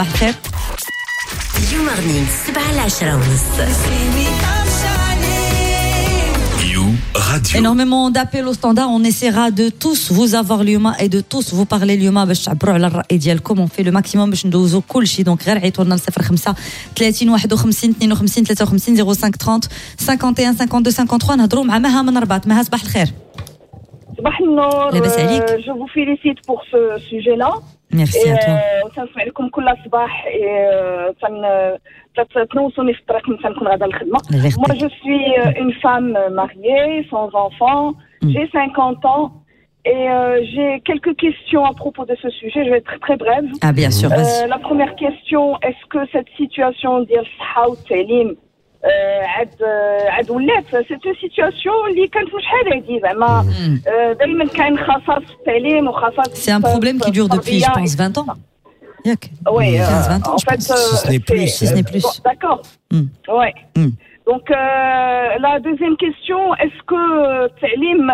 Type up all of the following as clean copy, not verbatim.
صباح الخير. You Morning، 7 ل 10:30. You Radio. Énormément d'appels au standard. On essaiera de tous vous avoir اليوم et de tous vous parler اليوم باش تعبروا على الرأي ديالكم. On fait le maximum باش ندوزو كل شيء. Donc غير عيطوا لنا 05 30 51 52 53، 05 30 51 52 53. نهضروا مع مها من الرباط. مها، صباح الخير. صباح النور. لاباس عليك؟ Je vous félicite pour ce sujet-là. Merci à toi. تنسمع لكم كل صباح، تنوصوني في الطريق من تنكون غادا للخدمة. الله Moi, يخليك. je suis une femme mariée, sans enfant. J'ai 50 ans et j'ai quelques questions à propos de ce sujet. Je vais être très, très brève. Ah bien sûr, vas-y. La première question, est-ce que cette situation ديال الصحة والتعليم عاد ولات؟ c'est une situation اللي كانت من شحال هادي، زعما دائما كاين خصاص في التعليم وخصاص C'est un problème qui dure depuis, je pense, 20 ans. ياك؟ Oui, 15, 20 ans, en je fait, pense. Si ce n'est plus. Si ce n'est plus. Bon, d'accord. Ouais. Donc, la deuxième question, est-ce que التعليم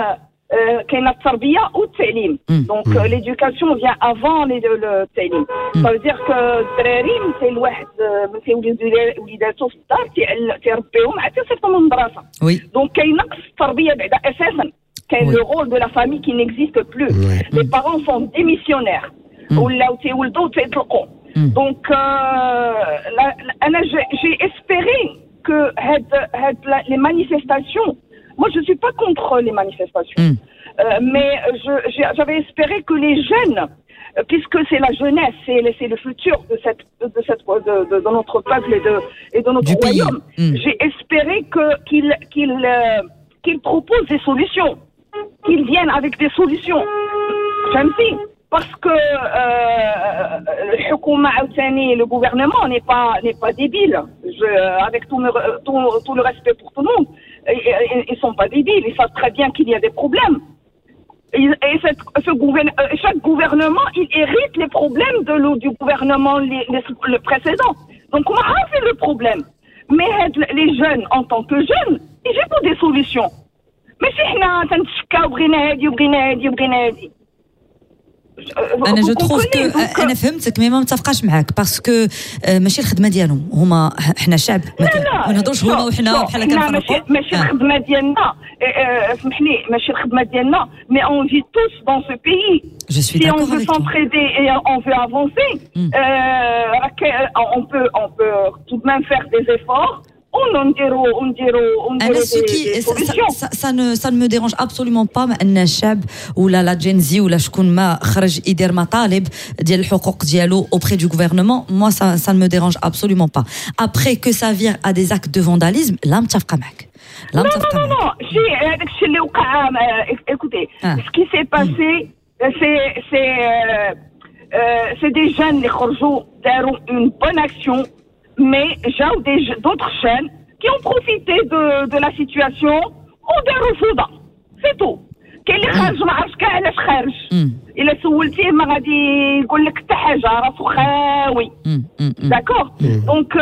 كاينه التربيه والتعليم؟ Donc l'éducation vient avant le التعليم. Ça veut dire que الدراري من الواحد من تيولد وليداتو في الدار تيربيهم عاد تيصيفطهم للمدرسه. Donc كاين نقص التربيه بعدا اساسا. كاين le rôle de la famille qui n'existe plus. Les parents sont démissionnaires. ولاو تيولدوا وتيطلقوا. Donc انا j'ai espéré que هاد les manifestations, moi je suis pas contre les manifestations, mais j'avais espéré que les jeunes, puisque c'est la jeunesse, c'est le futur de notre peuple et de notre Du pays. Royaume. J'ai espéré que qu'ils proposent des solutions, qu'ils viennent avec des solutions. فهمتي؟ Parce que الحكومة عاوتاني، le gouvernement n'est pas débile. Avec tout le respect pour tout le monde, ils sont pas débiles. Ils savent très bien qu'il y a des problèmes. Et chaque gouvernement, il hérite les problèmes du gouvernement le précédent. Donc, on a fait le problème. Mais هاد les jeunes, en tant que jeunes, ils ont des solutions. ماشي حنا تنتشكاو بغينا هادي وبغينا هادي وبغينا هادي. انا je trouve que انا فهمتك، mais ما متفقاش معاك parce que ماشي الخدمه ديالهم هما. حنا شعب، ما نهضروش هما وحنا بحال كنفرقوا. ماشي الخدمه ديالنا، اسمح لي، ماشي الخدمه ديالنا، mais on vit tous dans ce pays. Je suis Si on veut s'entraider et on veut avancer, on peut tout de même faire des efforts. انا ce qui ça ne me dérange absolument pas ان الشعب ولا la Gen Z ولا شكون ما خرج يدير مطالب ديال الحقوق ديالو auprès du gouvernement. Moi, ça ne me dérange absolument pas. Après, que ça vire à des actes de vandalisme, لا، متفقه معك. لا، متفقه. Non, non, شي هذاك الشيء اللي وقع، écoutez, ce qui s'est passé, c'est des jeunes اللي خرجوا داروا une bonne action, mais جاو d'autres jeunes qui ont profité de la situation وداروا فوضى، c'est tout. كاين اللي خارج ما عرفش كاع علاش خارج، الا سولتيه ما غادي يقول لك حتى حاجه، راسو خاوي، d'accord؟ Donc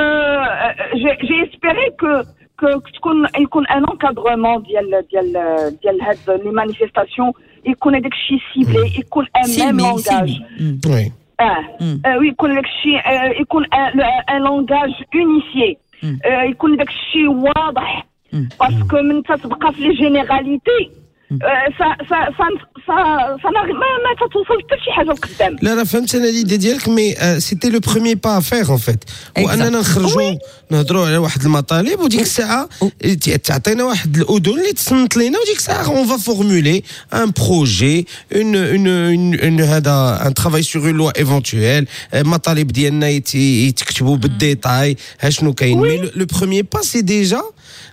j'ai espéré que تكون يكون un encadrement ديال هاد les manifestations، يكون هذاك الشيء ciblé، يكون un même langage. ويكون داك الشيء يكون un langage unifié، يكون داك الشيء واضح، parce que من تتبقى في les généralités، ça ça ça ça ça ما تتوصل حتى شي حاجه لقدام. لا لا، فهمت انا l'idée ديالك، mais c'était le premier pas à faire en fait، واننا نخرجوا نهضروا على واحد المطالب، وديك الساعه تعطينا واحد الاذن اللي تصنت لينا، وديك الساعه on va formuler un projet, une هذا un travail sur une loi éventuelle، المطالب ديالنا يتكتبوا بال détail، ها شنو كاين. Mais le premier pas, c'est déjà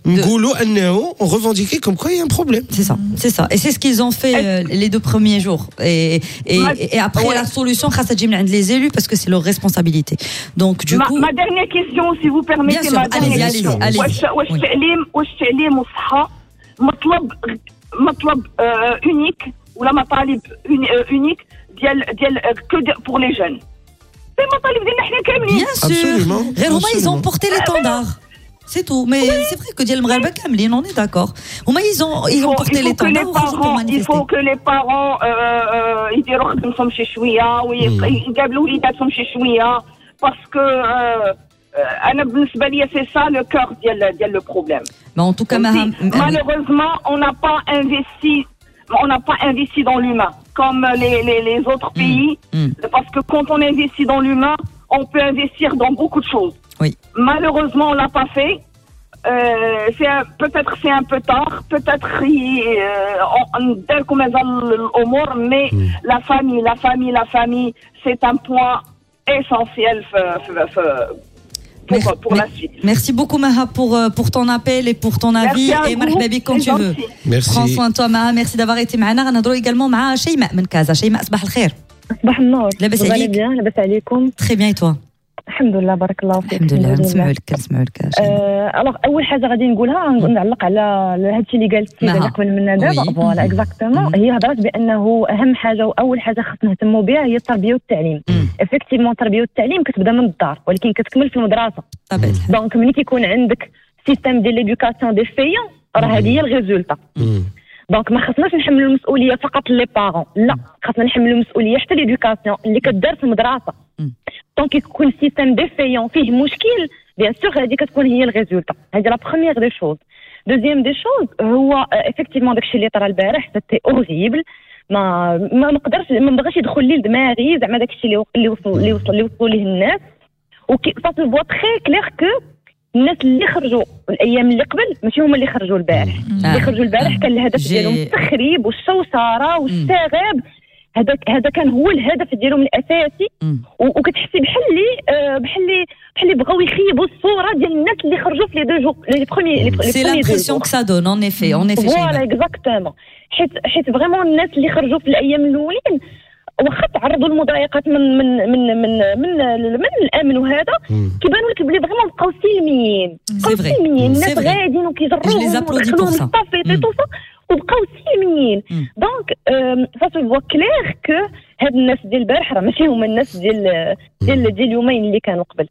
نقولوا انه on revendiquait comme quoi il y a un problème. C'est ça, c'est ça. Et c'est ce qu'ils ont fait les deux premiers jours. Et après, la solution, خاصها تجي من عند les élus parce que c'est leur responsabilité. Donc, du ma, coup. Ma dernière question, si vous permettez. Bien sûr, ma dernière allez-y, question. Allez-y. واش التعليم، واش التعليم والصحة مطلب unique ولا مطالب unique ديال que pour les jeunes؟ C'est مطالب ديالنا حنا كاملين. Bien sûr. غير هما ils ont porté l'étendard. C'est tout. Mais c'est vrai que ديال المغاربة كاملين، on est d'accord. هما ils ont porté l'étendard وخرجوا pour Il faut manifester. Que les parents يديروا خدمتهم شي شويه ويقابلوا وليداتهم شي شويه. Parce que انا بالنسبة لي c'est ça le cœur ديال le problème. Mais en tout cas, malheureusement, on n'a pas investi dans l'humain comme les autres pays, parce que quand on investit dans l'humain, on peut investir dans beaucoup de choses. Oui. Malheureusement, on l'a pas fait. Peut-être c'est un peu tard, peut-être mais la famille, la famille, la famille, c'est un point essentiel pour la suite. Merci beaucoup Maha pour ton appel et pour ton avis. Et مرحبا بك quand tu veux. Merci. Prends soin de toi Maha, merci d'avoir été معنا. غنهضروا également مع شيماء من كازا. شيماء، صباح الخير. صباح النور. لاباس عليك؟ Bien، لاباس عليكم؟ Très bien, et toi؟ الحمد لله، بارك الله فيك. الحمد لله، نسمعوا لك، نسمعوا لك. Alors اول حاجة غادي نقولها، نعلق على هذا الشيء اللي قالت السيدة اللي قبل منا دابا. Voilà, exactement، هي هضرات بانه اهم حاجة واول حاجة خصنا نهتموا بها هي التربية والتعليم. Effectivement، التربية والتعليم كتبدا من الدار ولكن كتكمل في المدرسه. طبيعي. Donc ملي كيكون عندك système ديال l'éducation défaillant، راه هذه هي ال résultat. Donc ما خصناش نحملوا المسؤولية فقط les parents، لا، خصنا نحملوا المسؤولية حتى l'éducation اللي كدار في المدرسه. Donc يكون système défaillant، فيه مشكل، bien sûr هذه كتكون هي ال résultat. هذه la première des choses. Deuxième des choses، هو effectivement داكشي اللي طرا البارح c'était horrible. ما نقدرش، ما بغاش يدخل لي لدماغي زعما داكشي اللي وصلوا ليه الناس. وكي ça se voit très clair que الناس اللي خرجوا الايام اللي قبل ماشي هما اللي خرجوا البارح. اللي خرجوا البارح كان الهدف ديالهم التخريب والشوشره والشغب، هذا كان هو الهدف ديالهم الاساسي. وكتحسي بحال اللي بغاو يخيبوا الصورة ديال الناس اللي خرجوا في les deux jours، les premiers. C'est l'impression que ça donne, en effet, en effet. Voilà, exactement، حيت vraiment الناس اللي خرجوا في الايام الاولين، واخا تعرضوا لمضايقات من الامن وهذا، كيبانوا لك بلي vraiment بقاو سلميين، بقاو سلميين. الناس غاديين وكيجروهم ودخلوهم estafettes, tout ça، وبقاو سلميين. Donc ça se voit clair que هاد الناس ديال البارح راه ماشي هما الناس ديال اليومين اللي كانوا قبل.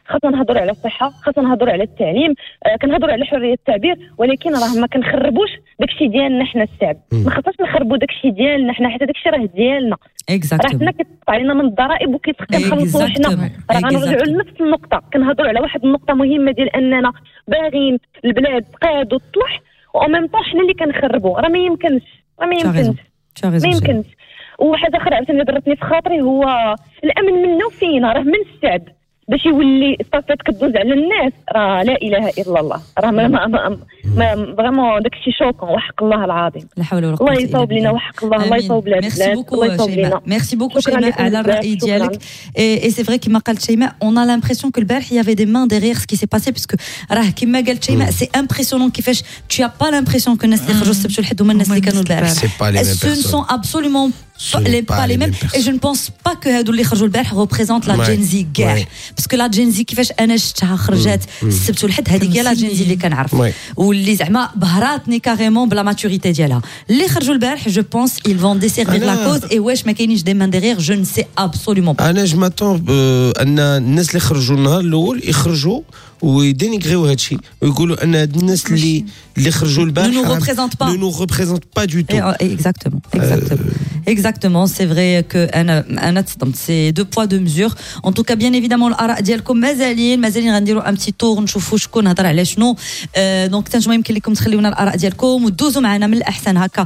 خاصنا نهضروا على الصحه، خاصنا نهضروا على التعليم، كنهضروا على حرية التعبير، ولكن راه ما كنخربوش داكشي ديالنا حنا الشعب. ما خاصناش نخربوا داكشي ديالنا حنا، حيت داكشي راه ديالنا، راه حنا كيتقطع علينا من الضرائب وكنخلصوا حنا. راه غنرجعوا لنفس النقطه، كنهضروا على واحد النقطة مهمة ديال اننا باغيين البلاد تقاد وتصلح، و en même temps حنا اللي كنخربوا. راه ما يمكنش، راه ما يمكنش، ما يمكنش. وحاجه اخرى عاوتاني ضرتني في خاطري، هو الامن منه فينا، راه من الشعب باش يولي estafette كدوز على الناس. راه لا اله الا الله، راه ما vraiment داكشي choquant، وحق الله العظيم. لا حول ولا قوة. الله يصوب لنا، وحق الله، الله يصوب لنا. Merci beaucoup شيماء، merci beaucoup شيماء على الراي ديالك. Et c'est vrai، كما قالت شيماء، on a l'impression que البارح il y avait des mains derrière ce qui s'est passé، parce que راه كما قالت شيماء، c'est impressionnant كيفاش tu as pas l'impression que الناس اللي خرجوا السبت والحد هما الناس اللي كانوا البارح. Ce ne sont absolument pas les mêmes et je ne pense pas que هادو اللي خرجوا البارح représentent la Gen Z كاع، parce que la Gen Z كيفاش انا شفتها خرجات السبت والحد، هذيك هي la Gen Z اللي كنعرف واللي زعما بهراتني carrément ب la maturité ديالها. اللي خرجوا البارح، je pense ils vont desservir la cause. Et واش ما كاينينش des mains derrière؟ Je ne sais absolument pas. انا je m'attends ان الناس اللي خرجوا النهار الاول يخرجوا ويدينيغريو هادشي ويقولوا ان هاد الناس اللي خرجوا البارح ne nous représentent pas. Ne nous représentent pas du tout. Exactement, exactement, c'est vrai que انا تصدمت، c'est deux poids deux mesures. En tout cas, bien évidemment، الاراء ديالكم مازالين مازالين، غنديروا un petit tour نشوفوا شكون هضر على شنو. Donc نتوما يمكن لكم تخليونا الاراء ديالكم ودوزوا معنا من الاحسن هكا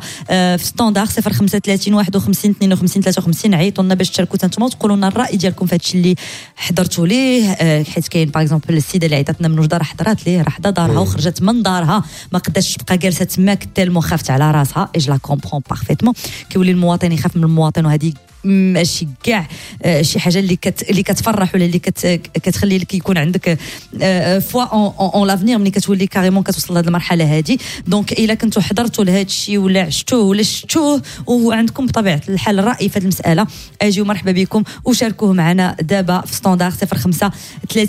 في standard 035 51 52 53. عيطوا لنا باش تشاركوا نتوما وتقولوا لنا الراي ديالكم في هادشي اللي حضرتوا ليه، حيت كاين par exemple السيدة اللي عيطتنا من وجده، راه حضرات ليه، راه حدا دارها وخرجت من دارها، ما قداش تبقى جالسة تماك tellement خافت على راسها، et je la comprends parfaitement. كيولي المواطن يخاف من المواطن، وهذه ماشي كاع شي حاجة اللي كتفرح ولا اللي كتخلي لك يكون عندك foi en l'avenir، ملي كتولي carrément كتوصل لهذه المرحلة هذه. Donc الا كنتو حضرتوا لهذا الشيء ولا عشتوه ولا شفتوه وعندكم بطبيعة الحال الراي في هذه المساله، اجيو مرحبا بكم وشاركوه معنا دابا في standard 05 30.